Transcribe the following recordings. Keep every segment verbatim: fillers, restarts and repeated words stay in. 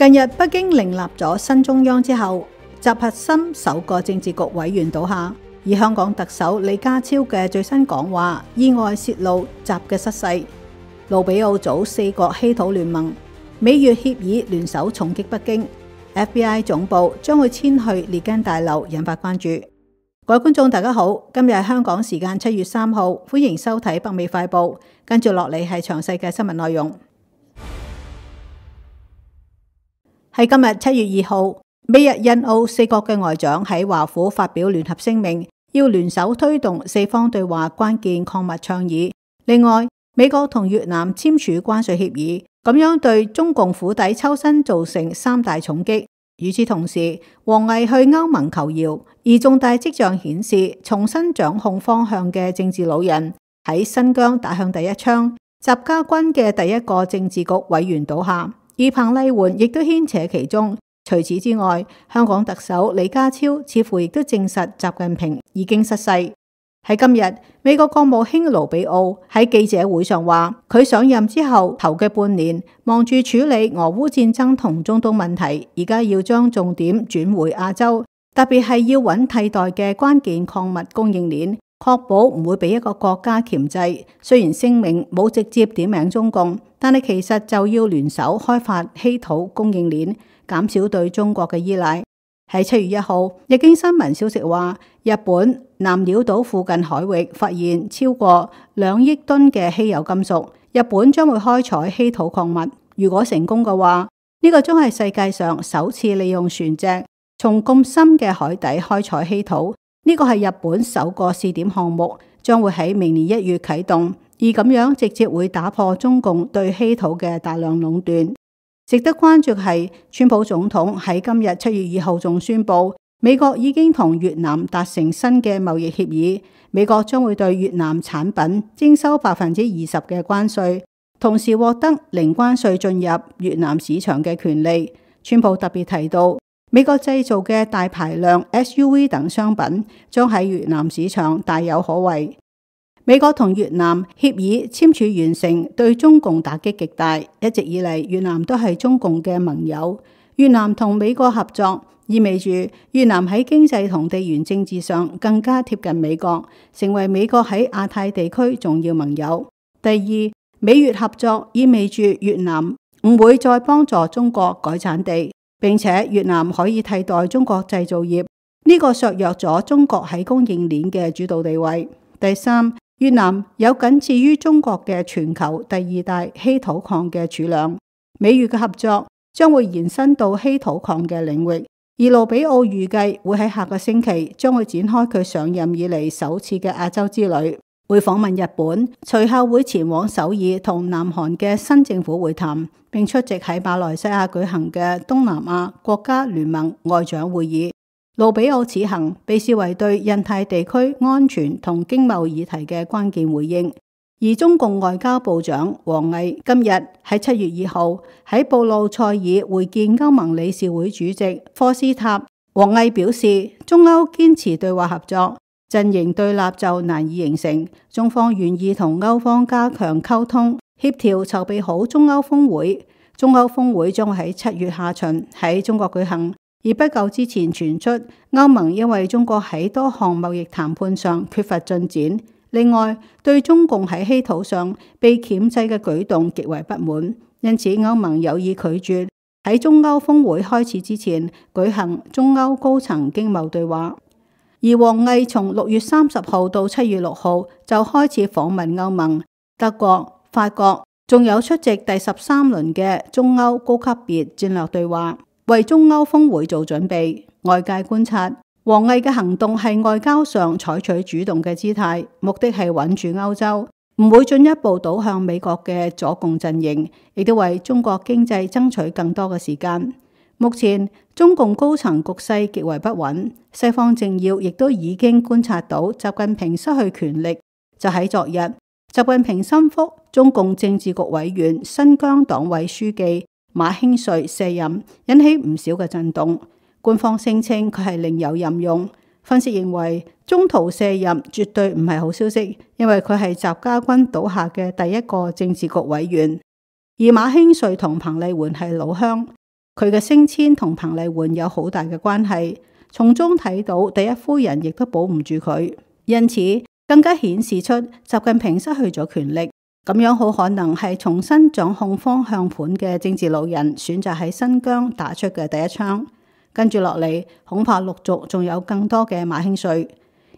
近日北京另立咗新中央之後，習核心首個政治局委員倒下，而香港特首李家超嘅最新講話意外泄露習嘅失勢。盧比奧組四國稀土聯盟，美越協議聯手重擊北京 ，F B I 總部將會遷去列根大樓，引發關注。各位觀眾大家好，今日係香港時間七月三號，歡迎收睇北美快報，跟住落嚟係詳細嘅新聞內容。喺今日七月二號，美日印澳四國嘅外長喺華府發表聯合聲明，要聯手推動四方對話關鍵礦物倡議。另外，美國同越南簽署關稅協議，咁樣對中共釜底抽薪造成三大重擊。與此同時，王毅去歐盟求饒，而重大跡象顯示，重新掌控方向嘅政治老人喺新疆打響第一槍，習家軍嘅第一個政治局委員倒下。而彭麗媛亦都牽扯其中。除此之外，香港特首李家超似乎亦都證實習近平已經失勢。喺今日，美國國務卿盧比奧喺記者會上話，佢上任之後頭嘅半年忙住處理俄烏戰爭同中東問題，而家要將重點轉回亞洲，特別係要揾替代嘅關鍵礦物供應鏈，確保唔會俾一個國家鉗制。雖然聲明冇直接點名中共，但係其實就要聯手開發稀土供應鏈，減少對中國嘅依賴。喺七月一號，日經新聞消息話，日本南鳥島附近海域發現超過兩億噸嘅稀有金屬，日本將會開採稀土礦物。如果成功嘅話，呢個將係世界上首次利用船隻從咁深嘅海底開採稀土。呢個係日本首個試點項目，將會喺明年一月啟動，而咁樣直接會打破中共對稀土嘅大量壟斷。值得關注係，川普總統喺今日七月二號仲宣布，美國已經同越南達成新嘅貿易協議，美國將會對越南產品徵收百分之二十嘅關稅，同時獲得零關稅進入越南市場嘅權利。川普特別提到，美國製造嘅大排量 S U V 等商品將喺越南市場大有可為。美國同越南協議簽署完成，對中共打擊極大。一直以嚟，越南都係中共嘅盟友。越南同美國合作，意味住越南喺經濟同地緣政治上更加貼近美國，成為美國喺亞太地區重要盟友。第二，美越合作意味住越南唔會再幫助中國改產地，並且越南可以替代中國製造業，呢個削弱咗中國喺供應鏈嘅主導地位。第三，越南有僅次於中國嘅全球第二大稀土礦嘅儲量，美越嘅合作將會延伸到稀土礦嘅領域。而盧比奧預計會喺下個星期將會展開佢上任以嚟首次嘅亞洲之旅，會訪問日本，隨後會前往首爾同南韓嘅新政府會談，並出席喺馬來西亞舉行嘅東南亞國家聯盟外長會議。盧比奧此行被視為對印太地區安全同經貿議題嘅關鍵回應。而中共外交部長王毅今日喺七月二號喺布魯塞爾會見歐盟理事會主席科斯塔。王毅表示，中歐堅持對話合作，陣營對立就難以形成。中方願意同歐方加強溝通協調，籌備好中歐峰會。中歐峰會將喺七月下旬喺中國舉行。而不久之前傳出歐盟因為中國喺多項貿易談判上缺乏進展，另外對中共喺稀土上被鉗制嘅舉動極為不滿，因此歐盟有意拒絕喺中歐峰會開始之前舉行中歐高層經貿對話。而王毅從六月三十號到七月六號就開始訪問歐盟、德國、法國，仲有出席第十三輪嘅中歐高級別戰略對話，為中歐峰會做準備。外界觀察，王毅嘅行動係外交上採取主動嘅姿態，目的係穩住歐洲，唔會進一步倒向美國嘅左共陣營，亦都為中國經濟爭取更多嘅時間。目前中共高層局勢極為不穩，西方政要亦都已經觀察到習近平失去權力。就喺昨日，習近平心腹中共政治局委員、新疆黨委書記馬興瑞卸任，引起唔少嘅震動。官方聲稱佢係另有任用，分析認為中途卸任絕對唔係好消息，因為佢係習家軍倒下嘅第一個政治局委員，而馬興瑞同彭麗媛係老鄉，佢嘅升遷同彭麗媛有好大嘅關係，從中睇到第一夫人亦都保唔住佢，因此更加顯示出習近平失去咗權力，咁樣好可能係重新掌控方向盤嘅政治老人選擇喺新疆打出嘅第一槍，跟住落嚟恐怕陸續仲有更多嘅馬興瑞。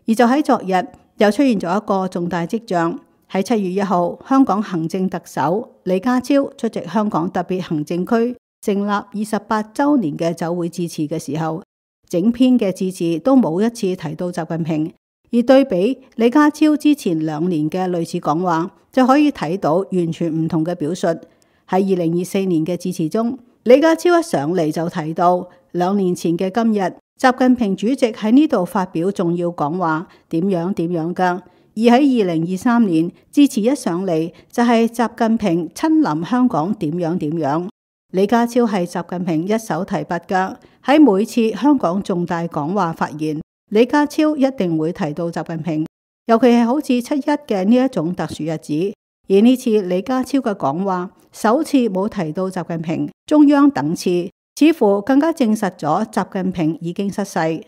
而就喺昨日又出現咗一個重大跡象，喺七月一號，香港行政特首李家超出席香港特別行政區成立二十八週年嘅酒會致辭嘅時候，整篇嘅致辭都冇一次提到習近平，而對比李家超之前兩年嘅類似講話，就可以睇到完全唔同嘅表述。喺二零二四年嘅致辭中，李家超一上嚟就提到兩年前嘅今日，習近平主席喺呢度發表重要講話，點樣點樣㗎。而喺二零二三年致辭一上嚟，就係習近平親臨香港點樣點樣。李家超係習近平一手提拔㗎，喺每次香港重大講話發言，李家超一定會提到習近平，尤其係好似七一嘅呢一種特殊日子。而呢次李家超嘅講話首次冇提到習近平，中央等次，似乎更加證實咗習近平已經失勢。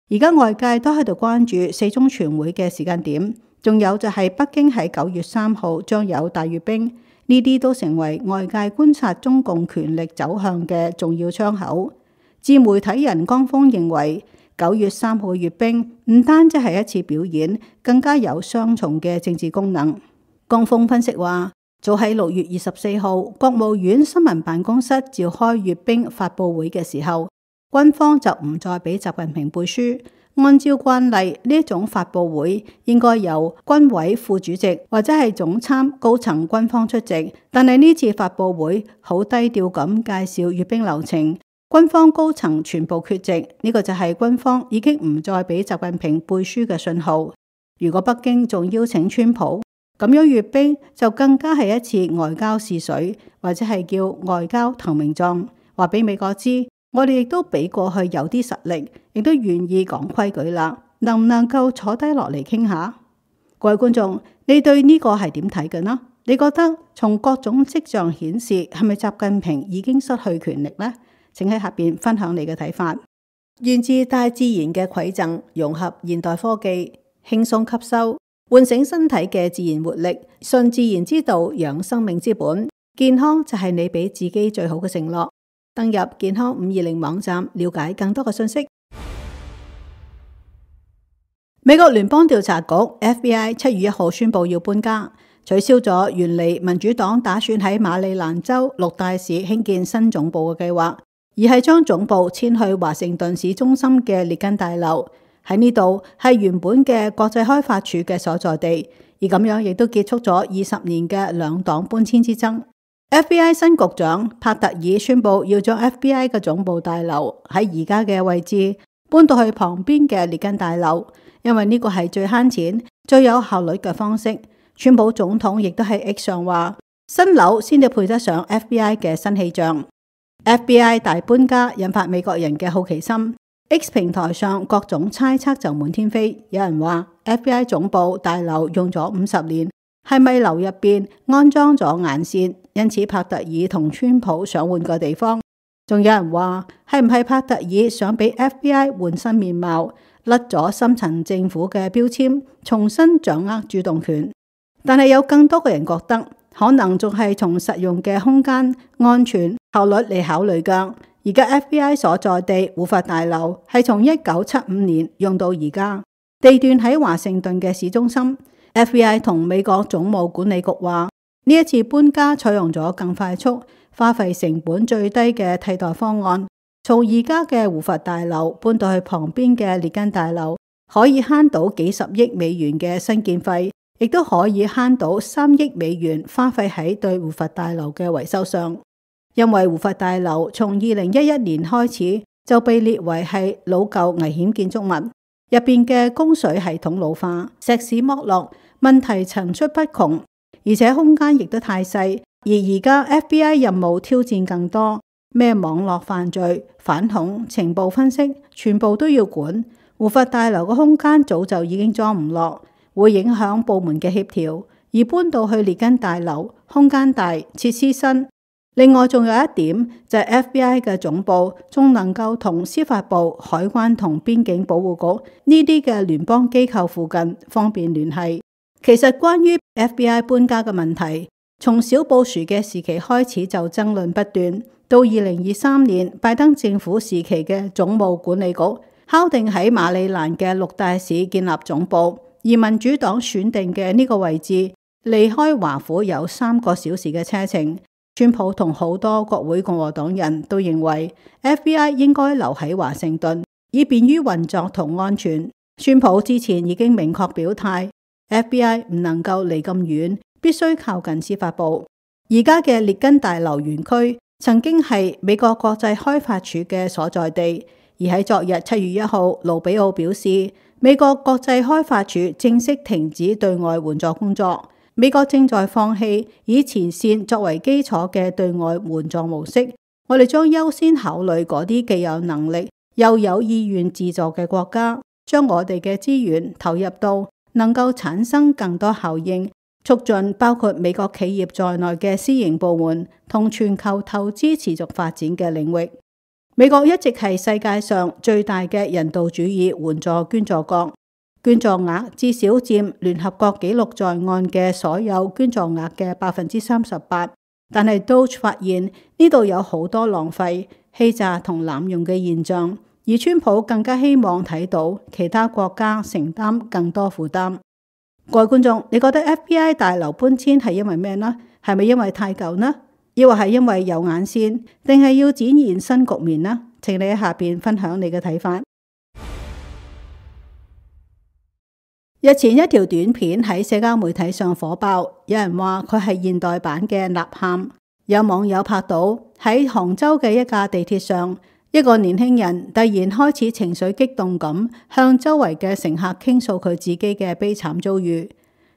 而家外界都喺度關注四中全會嘅時間點，仲有就係北京喺九月三號將有大閱兵，呢啲都成為外界觀察中共權力走向嘅重要窗口。自媒體人江峰認為，九月三號閱兵唔單止係一次表演，更加有雙重嘅政治功能。江峰分析話，早喺六月二十四號，國務院新聞辦公室召開閱兵發佈會嘅時候，軍方就唔再俾習近平背書。按照慣例，呢一種發佈會應該由軍委副主席或者係總參高層軍方出席，但係呢次發佈會好低調咁介紹閱兵流程，軍方高層全部缺席，呢、這個就係軍方已經唔再俾習近平背書嘅信號。如果北京仲邀請川普，咁樣閱兵就更加係一次外交試水，或者係叫外交投名狀，話俾美國知，我哋亦都比過去有啲實力，亦都願意講規矩啦，能唔能夠坐低落嚟傾下？各位觀眾，你對呢個係點睇嘅呢？你覺得從各種跡象顯示，係咪習近平已經失去權力呢？請喺下邊分享你嘅睇法。源自大自然嘅饋贈，融合現代科技，輕鬆吸收，喚醒身體嘅自然活力，順自然之道，養生命之本。健康就係你俾自己最好嘅承諾。登入健康五二零網站，了解更多嘅信息。美國聯邦調查局 F B I 七月一號宣布要搬家，取消咗原嚟民主黨打算喺馬里蘭州六大市興建新總部嘅計劃，而係將總部遷去華盛頓市中心嘅列根大樓。喺呢度係原本嘅國際開發處嘅所在地，而咁樣亦都結束咗二十年嘅兩黨搬遷之爭。F B I 新局長帕特爾宣布要將 F B I 嘅總部大樓喺而家嘅位置搬到去旁邊嘅列根大樓，因為呢個係最慳錢、最有效率嘅方式。川普總統亦都喺 X 上話，新樓先至配得上 F B I 嘅新氣象。F B I 大搬家引發美國人嘅好奇心。X 平台上各種猜測就滿天飛，有人話 F B I 總部大樓用咗五十年，係咪樓入邊安裝咗眼線？因此帕特爾同川普想換個地方。仲有人話係唔係帕特爾想俾 F B I 換新面貌，甩咗深層政府嘅標籤，重新掌握主動權？但係有更多嘅人覺得，可能仲係從實用嘅空間、安全、效率嚟考慮㗎。而家 F B I 所在地胡佛大樓係從一九七五年用到而家，地段喺華盛頓嘅市中心。F B I 同美國總務管理局話，呢一次搬家採用咗更快速、花費成本最低嘅替代方案，從而家嘅胡佛大樓搬到去旁邊嘅列根大樓，可以慳到幾十億美元嘅新建費，亦都可以慳到三億美元花費喺對胡佛大樓嘅維修上。因為胡佛大樓從二零一一年開始就被列為係老舊危險建築物，入邊嘅供水系統老化、石屎剝落，問題層出不窮，而且空間亦都太細。而而家 F B I 任務挑戰更多，咩網絡犯罪、反恐、情報分析，全部都要管。胡佛大樓嘅空間早就已經裝唔落，會影響部門嘅協調。而搬到去列根大樓，空間大、設施新。另外仲有一點就係 F B I 嘅總部仲能夠同司法部、海關同邊境保護局呢啲嘅聯邦機構附近方便聯繫。其實關於 F B I 搬家嘅問題，從小布殊嘅時期開始就爭論不斷，到二零二三年拜登政府時期嘅總務管理局敲定喺馬里蘭嘅六大市建立總部，而民主黨選定嘅呢個位置離開華府有三個小時嘅車程。川普同好多國會共和黨人都認為 F B I 應該留喺華盛頓，以便於運作同安全。川普之前已經明確表態 F B I 唔能夠離咁遠，必須靠近司法部。而家嘅列根大樓園區曾經係美國國際開發署嘅所在地，而喺昨日七月一號，盧比奧表示美國國際開發署正式停止對外援助工作。美國正在放棄以前線作為基礎嘅對外援助模式，我哋將優先考慮嗰啲既有能力又有意願自助嘅國家，將我哋嘅資源投入到能夠產生更多效應，促進包括美國企業在內嘅私營部門同全球投資持續發展嘅領域。美國一直係世界上最大嘅人道主義援助捐助國。捐助額至少佔聯合國記錄在案嘅所有捐助額嘅百分之三十八，但係都發現呢度有好多浪費、欺詐同濫用嘅現象，而川普更加希望睇到其他國家承擔更多負擔。各位觀眾，你覺得 F B I 大樓搬遷係因為咩呢？係咪因為太舊呢？抑或係因為有眼線，定係要展現新局面呢？請你喺下邊分享你嘅睇法。日前一條短片喺社交媒體上火爆，有人話佢係現代版嘅吶喊。有網友拍到喺杭州嘅一架地鐵上，一個年輕人突然開始情緒激動咁向周圍嘅乘客傾訴佢自己嘅悲慘遭遇。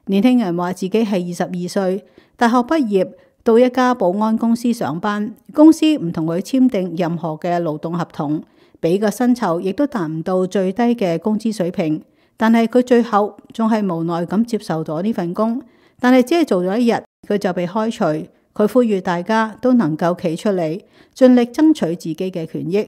年輕人話自己係二十二歲，大學畢業，到一家保安公司上班，公司唔同佢簽訂任何嘅勞動合同，俾嘅薪酬亦都達唔到最低嘅工資水平。但係佢最後仲係無奈咁接受咗呢份工，但係只係做咗一日，佢就被開除。佢呼籲大家都能夠企出嚟，盡力爭取自己嘅權益。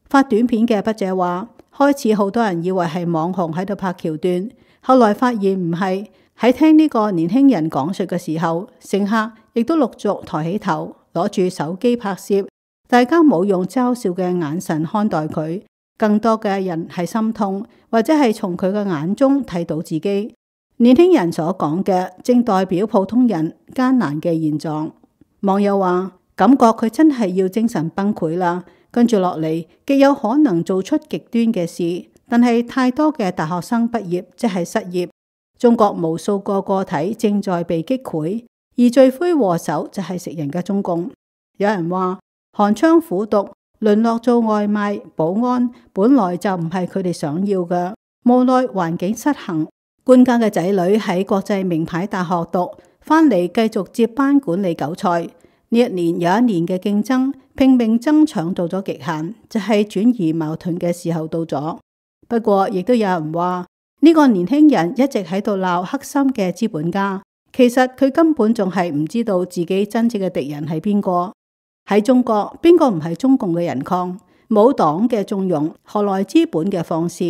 發短片嘅筆者話，開始好多人以為係網紅喺度拍橋段，後來發現唔係。喺聽呢個年輕人講述嘅時候，乘客亦都陸續抬起頭，攞住手機拍攝，大家冇用嘲笑嘅眼神看待佢。更多嘅人係心痛，或者係從佢嘅眼中睇到自己。年輕人所講嘅正代表普通人艱難嘅現狀。網友話，感覺佢真係要精神崩潰啦，跟住落嚟極有可能做出極端嘅事。但係太多嘅大學生畢業即係失業，中國無數個個體正在被擊潰，而罪魁禍首就係食人嘅中共。有人話，寒窗苦讀，淪落做外賣、保安，本來就唔係佢哋想要嘅。無奈環境失衡，官家嘅仔女喺國際名牌大學讀，翻嚟繼續接班管理韭菜。呢一年有一年嘅競爭，拼命爭搶到咗極限，就係轉移矛盾嘅時候到咗。不過亦都有人話，呢個年輕人一直喺度鬧黑心嘅資本家，其實佢根本仲係唔知道自己真正嘅敵人係邊個。喺中國，邊個唔係中共嘅人抗？冇黨嘅縱容，何來資本嘅放肆？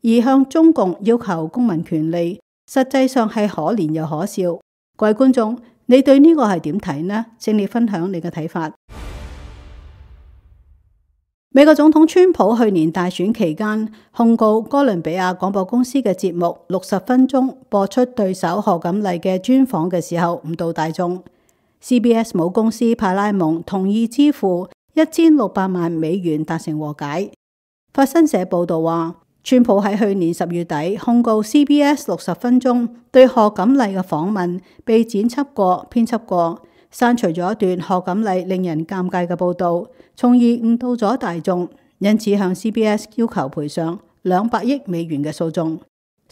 而向中共要求公民權利，實際上係可憐又可笑。各位觀眾，你對呢個係點睇呢？請你分享你嘅睇法。美國總統川普去年大選期間控告哥倫比亞廣播公司嘅節目六十分鐘播出對手賀錦麗嘅專訪嘅時候誤導大眾。C B S 母公司派拉蒙同意支付一千六百萬美元達成和解。法新社報道話，川普喺去年十月底控告 C B S 六十分鐘對賀錦麗嘅訪問被剪輯過、編輯過，刪除咗一段賀錦麗令人尷尬嘅報導，從而誤導咗大眾，因此向 C B S 要求賠償兩百億美元嘅訴訟。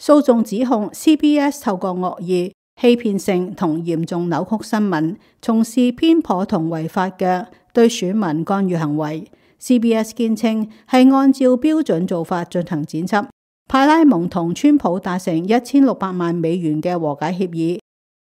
訴訟指控 C B S 透過惡意、欺騙性同嚴重扭曲新聞，從事偏頗同違法嘅對選民干預行為。C B S 堅稱係按照標準做法進行剪輯。派拉蒙同川普達成一千六百萬美元嘅和解協議。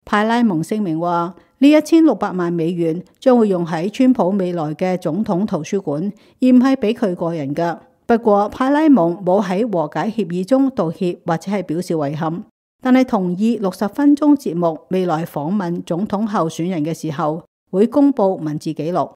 派拉蒙聲明話，呢一千六百萬美元將會用喺川普未來嘅總統圖書館，而唔係俾佢個人㗎。不過派拉蒙冇喺和解協議中道歉或者係表示遺憾，但係同意六十分鐘節目未來訪問總統候選人嘅時候會公布文字記錄。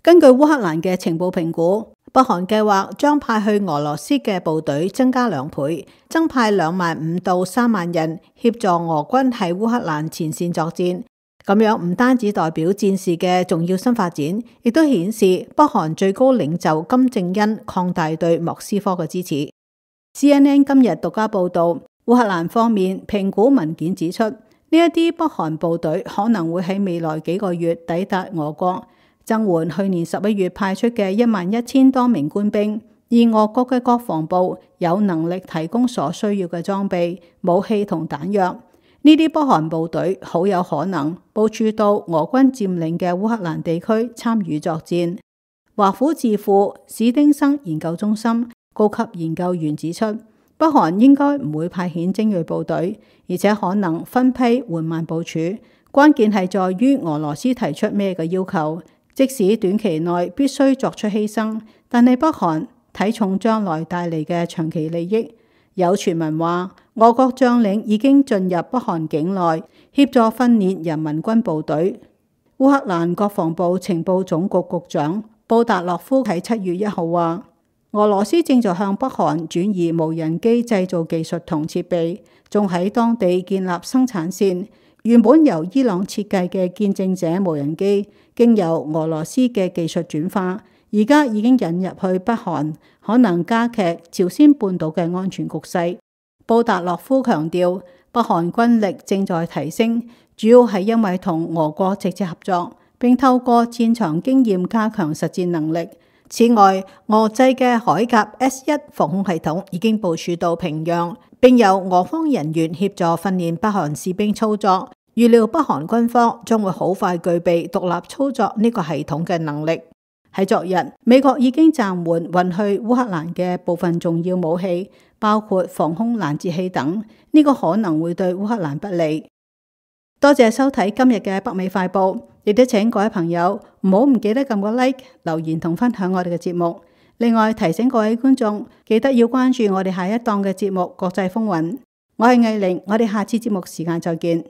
根據烏克蘭嘅情報評估，北韓計劃將派去俄羅斯嘅部隊增加兩倍，增派兩萬五到三萬人協助俄軍喺烏克蘭前線作戰。咁樣唔單止代表戰事嘅重要新發展，亦都顯示北韓最高領袖金正恩擴大對莫斯科嘅支持。C N N 今日獨家報道，烏克蘭方面評估文件指出，呢一啲北韓部隊可能會喺未來幾個月抵達俄國，增援去年十一月派出嘅一萬一千多名官兵，而俄國嘅國防部有能力提供所需要嘅裝備、武器同彈藥。呢啲北韓部隊好有可能部署到俄軍佔領嘅烏克蘭地區參與作戰。華府智庫史丁生研究中心高級研究員指出，北韓應該唔會派遣精銳部隊，而且可能分批緩慢部署。關鍵係在於俄羅斯提出咩嘅要求，即使短期內必須作出犧牲，但係北韓睇重將來帶嚟嘅長期利益。有傳聞話，俄國將領已經進入北韓境內協助訓練人民軍部隊。烏克蘭國防部情報總局局長布達洛夫喺七月一號話，俄羅斯正在向北韓轉移無人機製造技術同設備，仲喺當地建立生產線。原本由伊朗設計嘅見證者無人機，經由俄羅斯嘅技術轉化，而家已經引入去北韓，可能加劇朝鮮半島嘅安全局勢。布達洛夫強調，北韓軍力正在提升，主要係因為同俄國直接合作，並透過戰場經驗加強實戰能力。此外，俄製嘅海甲 S 一防空系統已經部署到平壤，並由俄方人員協助訓練北韓士兵操作。預料北韓軍方將會好快具備獨立操作呢個系統嘅能力。喺昨日，美國已經暫緩運去烏克蘭嘅部分重要武器，包括防空攔截器等，呢個可能會對烏克蘭不利。多謝收睇今日嘅北美快報，亦都請各位朋友唔好唔記得撳個 like、留言同分享我哋嘅節目。另外提醒各位觀眾，記得要關注我哋下一檔嘅節目《國際風雲》。我係藝玲，我哋下次節目時間再見。